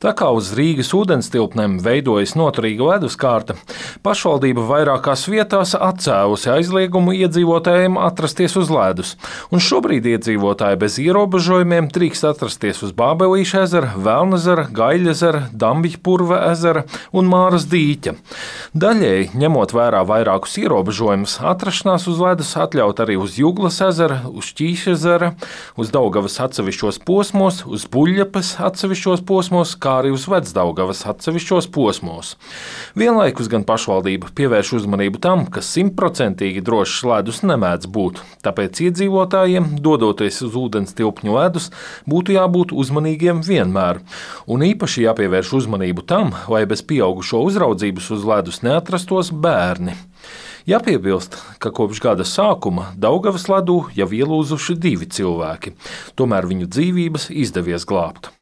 Tā kā uz Rīgas ūdenstilpnēm veidojas noturīga leduskārta, pašvaldība vairākās vietās atcēlusi aizliegumu iedzīvotājiem atrasties uz ledus, un šobrīd iedzīvotāji bez ierobežojumiem drīkst atrasties uz Bābelīša ezera, Velnezera, Gaļezera, Dambļpurva ezera un Māras dīķa. Daļēji, ņemot vērā vairākus ierobežojumus, atrašanās uz ledus atļaut arī uz Juglas ezera, uz Ķīšezera, uz Daugavas atsevišķos posmos, uz Buļļapes atsevišķos posmos, kā arī uz Vecdaugavas atsevišķos posmos. Vienlaikus gan pašvaldība pievērš uzmanību tam, ka 100% drošs ledus nemēdz būt, tāpēc iedzīvotājiem, dodoties uz ūdenstilpņu ledus, būtu jābūt uzmanīgiem vienmēr. Un īpaši jāpievērš uzmanību tam, lai bez pieaugušo uzraudzības uz ledus neatrastos bērni. Jāpiebilst, ka kopš gada sākuma Daugavas ledū jau ielūzuši 2 cilvēki, tomēr viņu dzīvības izdevies glābt.